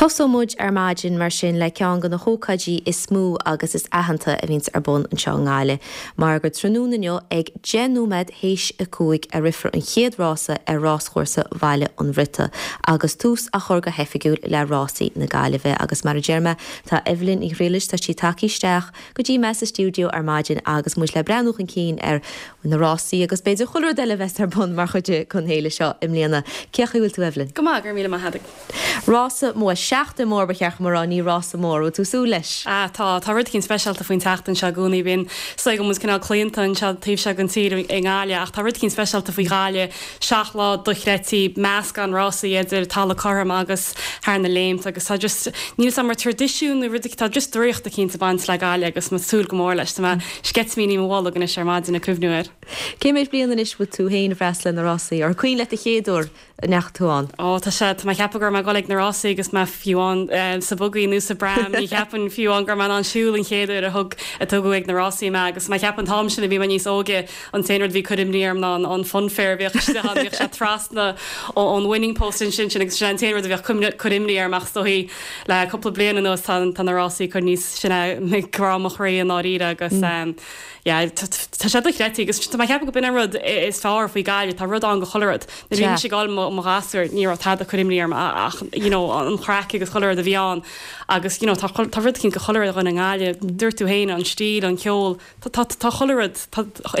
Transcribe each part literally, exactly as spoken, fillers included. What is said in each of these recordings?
Tosóidh muid ar maidin mar sin le ceann de na hócáidí is mó agus is aitheanta a bhíonns ar bun anseo i nGaillimh, mar gur tráthnóna inniu ag deich nóiméad théis a cúig a rithfear an chéad rása ar ráschúrsa Bhaile an Bhriotaigh agus tús á chur go hoifigiúil le rásaí na Gaillimhe agus mar a deir mé tá Evelyn Ní Ghriallais tá sí tagtha isteach go dtí mé sa stiúideo ar maidin agus muid le breathnú chun cinn ar na rásaí agus b'fhéidir chuile rud eile a bheas ar bun mar chuid den fhéile seo i mbliana. Cén chaoi a bhfuil tú Evelyn? Go maith go míle maith Rása mór seachtain mór ba cheart mar ní rása mór tú súil leis. Ah tá tá rud éigin speisialta faoin tseachtain seo i gcónaí bíonn so go mus cineál claonta anseo taobh seo den tír i nGaillimh ach tá rud éigin speisialta faoi Ghaillimh seacht lá dochreidte meascán rásaí idir talamh cothrom agus thar na léimt agus tá just níl mar traidisiún nó rud tá just draíocht éicint ag baint le Gaillimh agus tá súil go mór leis tá sceitimíní mo bholg anois ar maidin ag cuimhniú air. Cé méid bliain anois bhfuil tú féin freastal na rásaí ar cuimhin leat an chéad uair a ndeachaigh tú ann? Ó tá sé tá mé ceapadh go raibh mé ag dul ag na rásaí agus mé fiú amháin eh, sa buggy nó sa pram ní cheapaim fiú amháin go raibh mé in ann siúl an chéad uair a thug a tugadh ag na rásaí mé agus mé ceapaim an t-am sin a bhí mé níos óige an t-aon rud bhí cur imní orm ná an funfair bhíodh bhíodh sé trasna ón winning post sin sin sin agus sin an t-aon rud a bhíodh cur imní orm ach stoí le cúpla bliain anuas tá tá na rásaí chun níos sine grá mo chroí an áiríre agus um, yeah, tá sé dochreidte agus tá mé ceapadh go b'in an rud is fearr faoi Ghaillimh tá rud ann do chuile rud. Na bhí sé gáil mo ghasúr ní raibh tada cur imní orm ach you know, an chraic agus chuile rud a bhí ann agus you know, tá tá rud éicint do chuile dhuine i nGaillimh dúirt tú féin an stíl an ceol tá chuile rud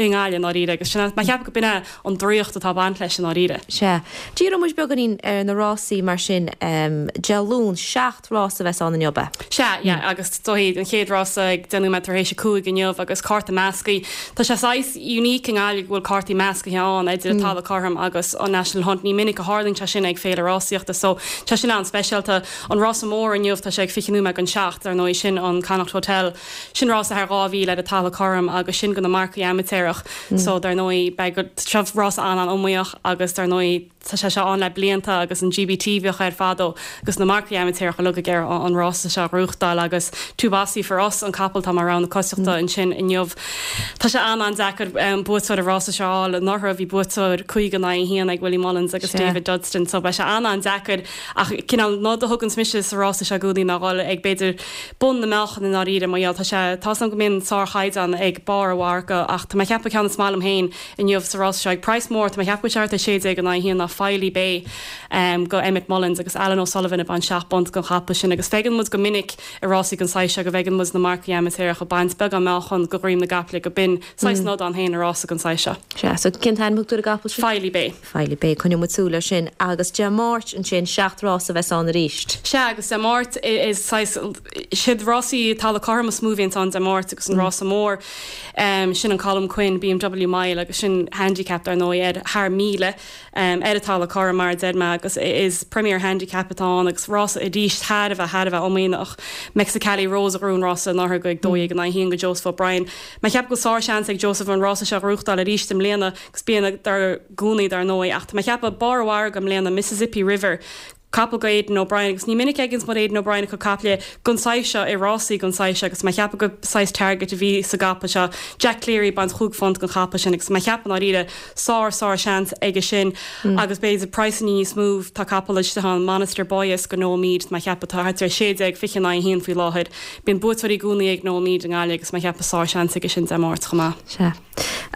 i nGaillimh dáiríre agus sin mé ceapadh go b'in é an draíocht atá baint leis an dáiríre. Sea. Díreoidh muid beagáinín ar na rásaí mar sin um, Dé Luain seacht rás a bheas ann inniu. Sea yeah, agus dóigh an chéad rása ag deich nóiméad tar éis a cúig inniu agus cárta measctha. Tá sé saghas unique in Gaillimh go bhfuil cártaí measctha ann idir mm. talamh cothrom agus an National Hunt ní minic a tharlaíonn sé sin ag féile rásaíochta so tá sin an-speisialta an rása mór inniu tá sé ag fiche nóiméad don seacht ar ndóigh sin an Connacht Hotel sin rása thar dhá mhíle ar an talamh cothrom agus sin do na marcaigh amaitéarach mm. so dar ndóigh beidh seo rás an-an-iomaíoch agus dar ndóigh tá sé seo ann le blianta agus an GBT bhíodh air fadó agus na marcaigh amaitéarach ag iarraidh an rása seo a ghnóthachtáil agus Two Bossy for Us an capall tá mar rogha na coitiantachta mm. ansin inniu. Tá sé an-an-deacair um, buaiteoir an rása seo anuraidh bhí buaiteoir cúig in aghaidh a haon ag Willie Mullins agus yeah. David Dudston so beidh sé an-an-deacair ach cineál ná do thugann mise sa rása seo gúdaí ná ag b'fhéidir bun na meáchan in áiríre mar tá sé tá go mbíonn sárchaighdeán ag barr a mharca ach tá mé ceapadh ceann is maith liom féin inniu sa rása seo ag praghas mór tá mé ceapadh seart a sé déag in aghaidh a haon ná Filey Bay um, go Emmett Mullins agus Alan O'Sullivan ag baint seacht bpunt don chapall sin agus feiceann muid go minic i rásaí den saghas go bhfeiceann muid na marcaigh amaitéarach ag baint beagán meáchan go dhroim na gcaiple go b'in saghas mm. nod ann féin i rása den saghas seo. Sea so cén t-ainm ar an gcapall sin? Filey Bay. Filey Bay coinneoidh muid súil air sin agus Dé Máirt ansin seacht rás a bheas ann arís. Sea agus Dé Máirt is siad rásaí talamh cothrom is mó a bhíonn ann Dé Máirt agus an mm. rása mór um, sin an Colm Quinn BMW Mile agus sin handicap ar ndóigh ar thar míle um, ar an talamh cothrom mar deir mé agus is Premier Handicap atá agus rása arís thar a bheith thar a bheith iomaíoch Mexicali Rose a ghnóthaigh an rása anuraidh ag dó dhéag in aghaidh a haon go Joseph O'Brien. Mé ceapadh go sárseans ag Joseph an rása seo a ghnóthachtáil arís i mbliana agus bíonn i gcónaí dar ndóigh ach mé ceapadh barr an mhargaidh i mbliana Mississippi River capall go Aidan O'Brien agus ní minic a fheiceann Aidan O'Brien go caiple den saghas seo i rásaí den saghas seo agus mé ceapadh go saghas target a bhí sa gcapall seo Jack Cleary baint chúig phunt don chapall sin agus mé ceapadh dáiríre sár sár seans aige sin mm. agus b'fhéidir praghas níos mó tá capall an Monaster Boyes go Noel Meade mé ceapadh tá thart ar sé déag fiche in aghaidh a haon faoi láthair bíonn buaiteoirí i gcónaí ag Noel Meade i nGaillimh agus mé ceapadh sár seans aige sin Dé Máirt chomh maith. Sea.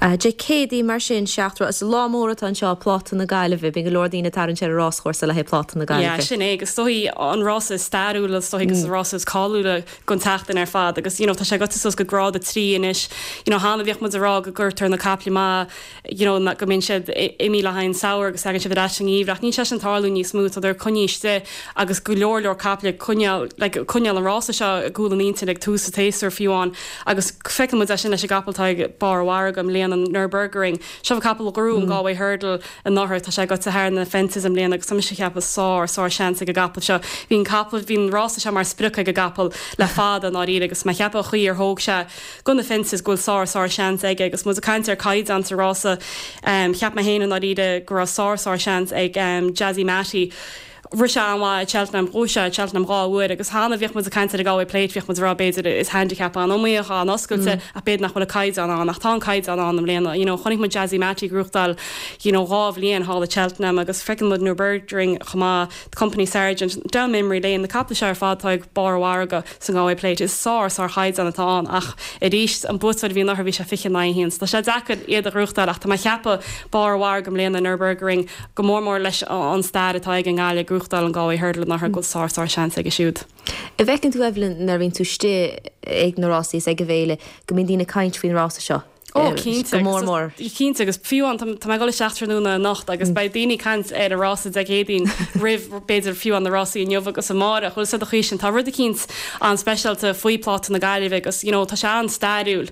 Uh, Dé Céadaoin mar sin seacht is lá mór atá anseo Pláta na Gaillimhe, bíonn go leor daoine tar ar ráschúrsa le Pláta na Gaillimhe. Yeah, sin é agus dóigh an rása stairiúil is dóigh agus mm. rása cáiliúla den tseachtain ar fad agus you know, tá sé gaibhte suas go grád a trí anois you know, cheana bhíodh muid ag rá go gcuirtear na caiple má you know, go mbíonn siad imithe le haghaidh an samhradh agus tagann siad ar ais an ngeimhreadh níl sé sin ag tarlú níos mó tá coinnithe agus go leor leor caiple coinneáil like, coinneáil an rása seo gúil an íntin ag tús an tséasúir fiú amháin agus feiceann muid sin leis an gcapall tá ag barr an mhargaidh i mbliana an Nürburgring. Seo capall a ghnóthaigh an mm. Galway Hurdle anuraidh tá sé gaibhte thar na fences i mbliana agus tá mise ceapadh sár sár seans ag an gcapall seo. Bhí'n capall bhí'n rása seo mar sprioc ag an gcapall le fada dáiríre agus mé ceapadh an chaoi ar thóg sé go na fences go bhfuil sár sár seans aige agus muid ag caint ar caighdeán sa rása um, cheap mé féin dáiríre go raibh sár sár seans ag um, Jazzy Matty. Rith sé an-mhaith i Cheltenham, bhuaigh sé i Cheltenham dhá uair agus cheana bhíodh muid ag caint ar an Galway Plate, bhíodh muid ag rá b'fhéidir is handicap an-iomaíoch, an-oscailte ach b'fhéidir nach bhfuil an caighdeán ann ach tá an caighdeán ann i mbliana. You know, chonaic muid Jazzy Matty ag gnóthachtáil you know, dhá bhliain thall i Cheltenham agus feiceann muid Nürburgring chomh maith, Company Sergeant, Down Memory Lane, na caiple seo ar fad atá ag barr an mhargaidh san Galway Plate. Is sár, sár chaighdeán atá ann ach arís an buaiteoir a bhí anuraidh bhí sé fiche in aghaidh a haon so tá sé deacair iad a ghnóthachtáil ach tá mé ag ceapadh barr an mhargaidh i mbliana Nürburgring go mór mór leis an stair atá ag an nGaillimh ag gnóthachtáil an Galway Hurdle anuraidh go bhfuil sár sár seans aige siúd. An bhfeiceann tú Evelyn nuair a bhíonn tú istigh ag na rásaí is ag an bhféile go mbíonn daoine ag caint faoin rása seo? Ó cinnte go mór mór. Cinnte agus fiú amháin tá mé ag dul isteach tráthnóna anocht agus beidh daoine ag caint ar an rása Dé Céadaoin roimh b'fhéidir fiú amháin na rásaí inniu agus amárach. Bhfuil sé de chaoi sin tá rud eicínt an-speisialta faoi Pláta na Gaillimhe agus you know tá sé an-stairiúil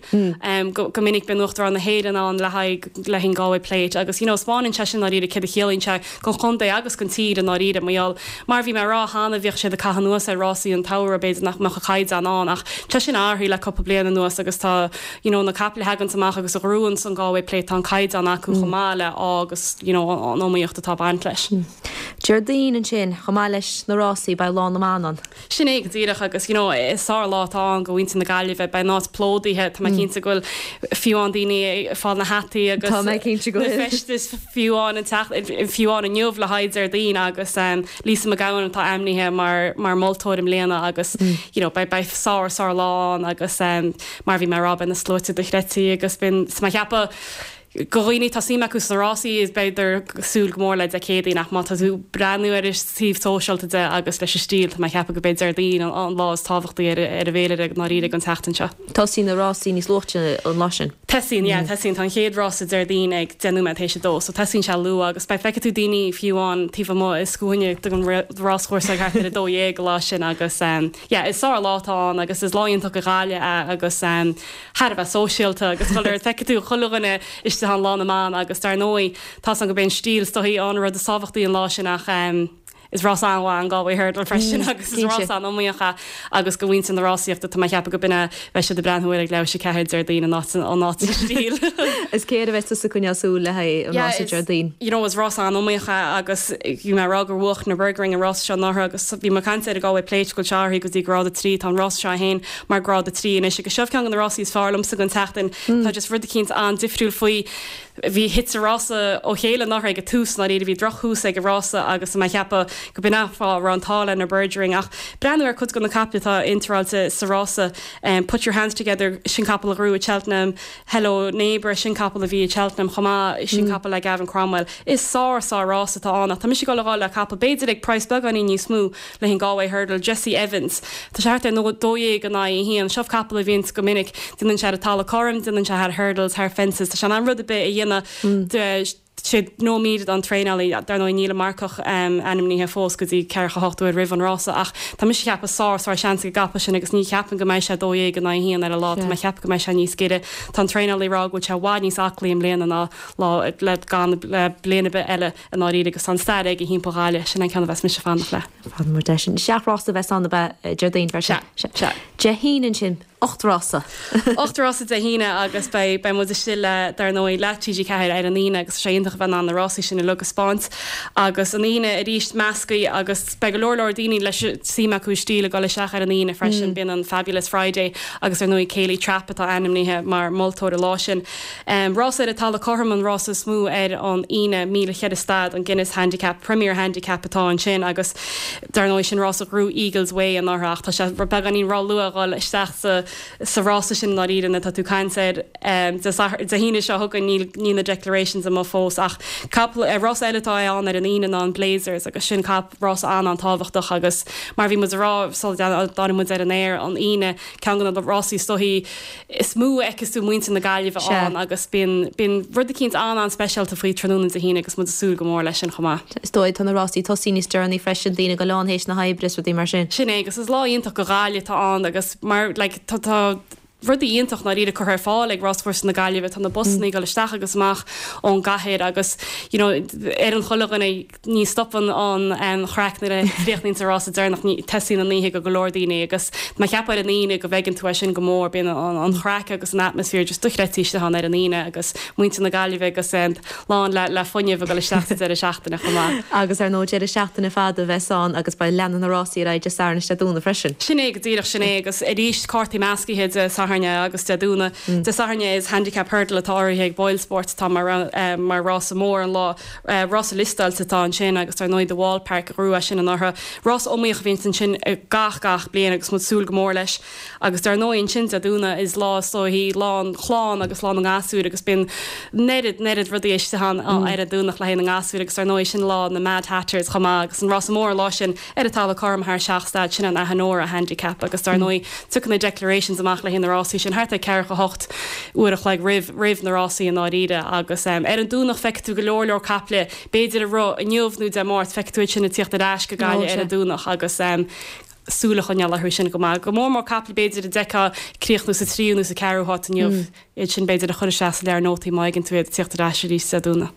go go minic bíonn Uachtarán na hÉireann ann le haghaidh le haghaidh an Galway Plate agus you know spáineann sé sin ndáiríre céard a chiallaíonn sé don chontae agus don tír i ndáiríre mar gheall mar bhí mé ag rá cheana bhíodh siad ag caitheamh anuas ar rásaí an tsamhraidh b'fhéidir nach mbeadh an caighdeán ann ach tá sin athraithe le cúpla bliain anuas agus tá you know na caiple a thaganns amach agus a ghnóthaíonns an Galway Plate tá an caighdeán acu chomh maith le agus you know an iomaíocht atá ag baint leis. Déardaoin ansin chomh maith leis na rásaí beidh Lá na mBan ann. Sin é go díreach agus you know is sár lá atá ann do mhuintir na Gaillimhe beidh an áit plódaithe tá mé cinnte go bhfuil fiú amháin daoine ag fáil na hataí agus Tá mé cinnte go na bhfuil. feistis fiú amháin an teach fiú amháin inniu le haghaidh Déardaoin agus um, Lisa McGowan atá ainmnithe mar mar moltóir i mbliana agus you know beidh beidh sár sár lá ann agus um, mar bhí mé ag rá beidh na sluaite dochreidte agus bíonn tá mé ag ceapadh do dhaoine atá suim acu sna rásaí is b'fhéidir súil go mór le Dé Céadaoin ach má tá tú breathnú ar an taobh sóisialta de agus leis an stíl tá mé ag ceapadh go beidh Déardaoin an, an lá is tábhachtaí ar ar an bhféilire ndáiríre an tseachtain seo. Tosaíonn na rásaí níos luaithe an lá sin. Tosaíonn yeah, tosaíonn tá an chéad rása Déardaoin ag deich nóiméad théis a dó, so tosaíonn sé luath agus beidh feicfidh tú daoine fiú amháin taobh amuigh i scuaine don ráschúrsa ag thart ar a dó dhéag an lá sin agus um, yeah, is sár lá atá ann agus is lá iontach do Ghaillimh é agus um, thar a bheith sóisialta agus chuile feicfidh tú chuile dhuine istigh an Lá na mBan agus dar ndóigh tá an go b'in stíl stoí an rud is tábhachtaí an lá sin ach um, is rás an-mhaith an Galway Hurdle freisin agus is cinnte. rás an-iomaíoch é agus do mhuintir na rásaíochta tá mé ag ceapadh go b'in beidh siad ag breathnú ar ag leathuair théis a ceathair Déardaoin an áit an áit stíl. Is céard a bheas tusa ag coinneáil súil le haghaidh an rása Déardaoin. You know, is rás an-iomaíoch é agus bhí mé ag rá gur bhuaigh Nürburgring an rás seo anuraidh agus bhí mé ag caint ar an Galway Plate go seáirí go dtí grád a trí tá an rás seo féin mar grád a trí anois agus seo ceann de na rásaí is fearr liomsa den tseachtain tá just rud eicínt an-difriúil faoi bhí thit an rása ó chéile anuraidh ag an tús ná bhí drochthús ag an rása agus mé ag ceapadh go b'in an fáth raibh an t-ádh le Nürburgring ach breathnú ar cuid de na caiple atá iontráilte sa rása um, put your hands together sin capall a ghnóthaigh i Cheltenham Hello Neighbour sin capall a bhí i Cheltenham chomh maith sin capall le Gavin Cromwell is sár sár rás atá ann ach tá mise ag gabháil le capall b'fhéidir ag praghas beagáinín níos mó le an Galway Hurdle Jesse Evans Tá sé thart ar nó dó dhéag in aghaidh a haon seo capall a bhíonn go minic déanann sé talamh cothrom déanann sé thar hurdles thar fences Tá sé an rud a bit a dhéanamh sé nóiméad an traenálaí dar ndóigh níl an marcach um, ainmnithe fós go dtí ceathracha hocht uair roimh an rása ach tá mise ag ceapadh sár sár seans ag an gcapall sin agus ní cheapaim go mbeidh sé dó dhéag in aghaidh a haon ar an lá Tá mé ag ceapadh go mbeidh sé níos giorra Tá an traenálaí ag rá go bhfuil sé i bhfad níos aclaí i mbliana ná lá le gan le bliain ar bith eile i ndáiríre agus an stair ag timpeall Ghaillimh sin an ceann a bheas mise ag fanacht le. Fan mar de sin seacht rása bheas ann Déardaoin freisin. Se, se. Dé hAoine ansin ocht rása. Ocht rása Dé hAoine agus beidh beidh muid istigh le dar ndóigh le TG Ceathair ar an Aoine agus sé iontach a bheith an na rásaí sin uilig a thaispeáint agus an Aoine arís meascaí agus beidh go leor leor daoine leis suim acu stíl ag dul isteach ar an Aoine freisin bíonn an Fabulous Friday agus ar ndóigh Kayleigh Trapp atá ainmnithe mar moltóir an lá sin. Um, Rás ar an talamh cothrom an rás is mó ar an Aoine míle ceithre staid an Guinness Handicap Premier Handicap atá ansin agus dar ndóigh sin rás a ghnóthaigh Eagles Way anuraidh tá sé beagáinín róluath dul isteach sa sa rása sin ndáiríre tá tú ag caint ar um, Dé hAoine seo chugainn níl níl na declarations amuigh fós ach capall uh, rás eile atá ann ar an Aoine ná an Blazers agus sin cap rás an an-tábhachtach agus mar bhí muid ag rá dá muid ar an aer an Aoine ceann de na rásaí stoí is mó fheicfeas tú muintir na Gaillimhe Se. ann agus bíonn bíonn rud eicínt an an-speisialta faoi tráthnóna Dé hAoine agus muid ag súil go mór leis sin chomh maith. Is dóigh tá na rásaí tosaí níos deireanaí freisin daoine go lán théis na hoibre rudaí mar sin. Sin é agus is lá iontach do Ghaillimh atá ann agus mar like, tá tá rudaí iontach ndáiríre curtha ar fáil ag Ráschúrsa na Gaillimhe tá na busanna ag dul isteach agus amach ón gcathair agus you know, ar an chuile dhuine ní stopann an um, chraic nuair a chríochnaíonn an rása deireanach ní teastaíonn an oíche go go leor daoine agus má cheapann an Aoine go bhfeiceann tú é sin go mór bíonn an, an chraic agus an atmaisféar just dochreidte istigh ann ar an Aoine agus muintir na Gaillimhe agus um, lán le, le fuinneamh ag dul isteach sa deireadh seachtaine chomh maith. Agus ar ndóigh deireadh seachtaine fada a bheas ann agus beidh leanfaidh na rásaí ar aghaidh Dé Sathairn is Dé Domhnaigh freisin. Sin é go díreach sin é agus arís cártaí meascaithe Dé Sathairn agus Dé Domhnaigh. Mm. Dé Sathairn is handicap hurdle atá urraithe ag Boyle Sport tá mar, uh, mar rása mór an lá uh, rása liostáilte atá ansin agus ar ndóigh The Wall Park rua sin an ortha. Rás iomaíoch a bhíonn ansin gach gach bliain agus muid súil go mór leis agus dar ndóigh ansin Dé Domhnaigh is lá sóhí lá chlán agus lá na ngasúr agus bíonn neart neart rudaí istigh ann mm. ar an Domhnach le na ngasúr agus ar ndóigh sin lá na Mad Hatters chomh agus an rása mór lá sin ar an talamh cothrom thar seacht staid sin an Ahenora handicap agus dar ndóigh tugann na declarations amach le na rásaí sin thart ar ceathracha hocht uair a chloig roimh roimh na rásaí an áiríre agus um, ar an Domhnach feicfidh tú go leor leor caiple b'fhéidir a rith inniu nó Dé Máirt feicfidh tú sin ag tíocht ar ais go Gaillimh ar an Domhnach agus um, súil a choinneáil orthu sin go maith. Go mór mór caiple b'fhéidir a d'fheicfeá críochnú sa tríú nó sa ceathrú háit inniu mm. iad sin b'fhéidir a chur isteach sa leabhar nótaí má fheiceann tú iad tíocht ar ais arís Dé Domhnaigh.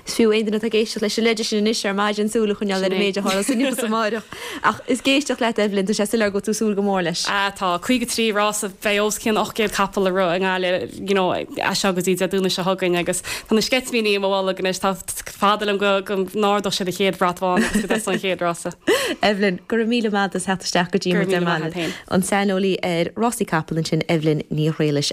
Is fiú aon duine atá ag éisteacht leis an leide sin anois ar maidin súil a choinneáil ar an méid a tharla inniu is amárach. Ach is ag éisteacht leat Evelyn tá sé soiléir go bhfuil tú ag súil go mór leis. A tá caoga trí rás a bheidh os cionn ocht gcéad capall ag rith i nGaillimh you know, as seo go dtí Dé Domhnaigh seo chugainn agus tá na sceitimíní i mo bholg anois tá fada liom go go n-ardóidh siad an chéad bhrat bhán agus go dtosóidh an chéad rása. Evelyn, go raibh míle maith agat as theacht isteach go dtí Go raibh míle maith agat féin. An saineolaí ar rásaí capall ansin Evelyn Ní Ghriallais.